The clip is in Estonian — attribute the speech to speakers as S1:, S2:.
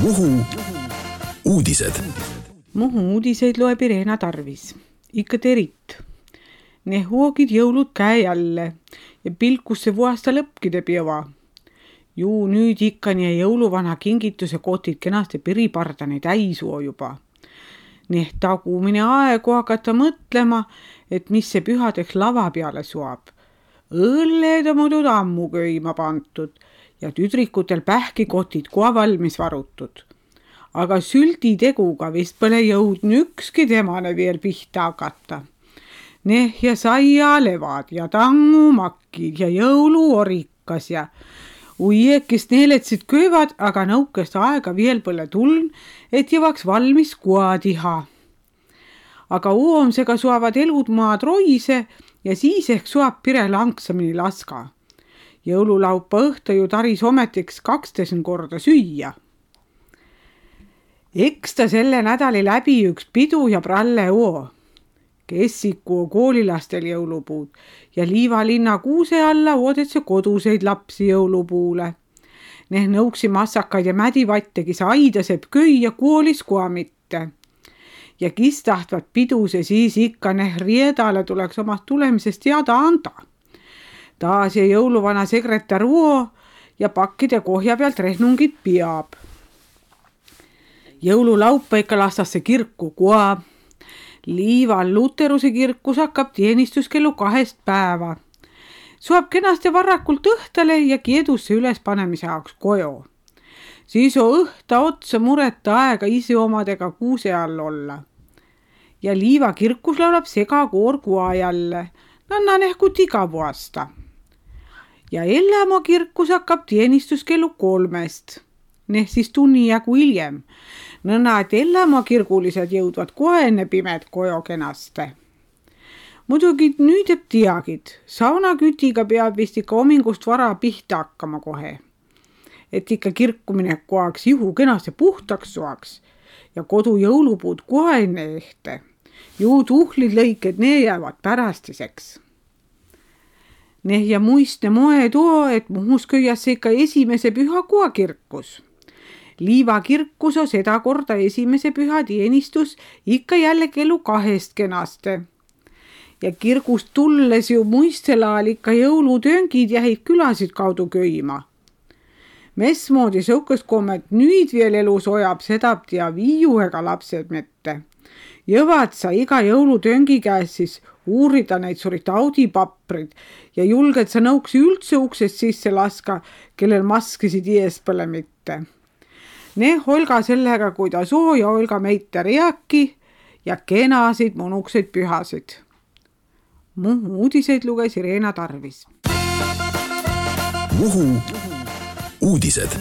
S1: Muhu uudised.
S2: Muhu uudiseid loeb Irena Tarvis. Ikka terit. Ne huogid jõulud käe jälle ja pilkusse vuasta lõpkide piova. Juu nüüd ikka nii jõuluvana kingituse kotid kenasti piripardani täisuo juba. Nii tagumine aegu hakata mõtlema, et mis see pühadeks lava peale suab. Õlled on muidu ammu köima pantud ja tüdrikutel pähkikotid kohe valmis varutud. Aga süldi teguga vist pole jõudnud ükski temane veel pihta hakata. Ja saialevad ja tangumakkid ja jõuluorikas ja uiekist neeletsid köövad, aga nõukest aega veel pole tuln, et jõvaks valmis kuadiha. Aga uomsega suavad elud maad roise ja siis ehk suab pire langsamini laska. Jõululaupa õhta ju taris ometiks 12 korda süüa. Eks ta selle nädali läbi üks pidu ja pralle oo. Kessiku koolilastel jõulupuud ja Liivalinna kuuse alla oodetse koduseid lapsi jõulupuule. Nõuksi massakaid ja mädivattegi saidaseb köi ja koolis koa mitte. Ja kis tahtvad piduse siis ikka riedale tuleks omast tulemisest teada anda. Taas ja jõuluvana sekretär uo ja pakkide kohja pealt rehnungid peab. Jõululaupa ikka lastasse kirku koa. Liival Luteruse kirkus hakkab teenistus kellu 2 päeva. Suab kenasti varrakult õhtale ja kiedusse üles panemise jaoks kojo. Siis on õhta otsa mureta aega isi omadega kuuse all olla. Ja Liiva kirkus laulab segakoor koa jälle. Nanna nehkut iga vuasta. Ja Ellämaa kirkus hakkab teenistus kellu 3. Siis tunni jagu hiljem. Nõnna, et Ellämaa kirgulised jõudvad kohe enne pimed kojo kenaste. Muidugi nüüd jääb teagid. Saunakütiga peab vist ikka homingust vara pihta hakkama kohe. Et ikka kirkumine koaks juhu kenasti puhtaks suaks ja kodu jõulupuud kohe enne ehte. Juu tuhlid lõiked, ne jäävad pärastiseks. Ja muistne moe too, et Muhus köiasse ikka esimese püha koa kirkus. Liiva kirkus on seda korda esimese püha teenistus ikka jälle kellu 2 kenaste. Ja kirgust tulles ju muistelaal ikka jõulutööngid jäid külasid kaudu köima. Mesmoodi sõukest kommet nüüd veel elus ojab sedab ja viiuhega lapsed mitte. Jõvad sa iga jõulutööngi käes siis uurida neid surit audipaprid ja julged sa nõuksi üldse uksest sisse laska, kellel maskisid ees pole mitte. Olga sellega, kui ta soo ja Olga meiter jääki ja kenasid monukseid pühasid. Muhu uudiseid luges Irena Tarvis.
S1: Muhu uudised.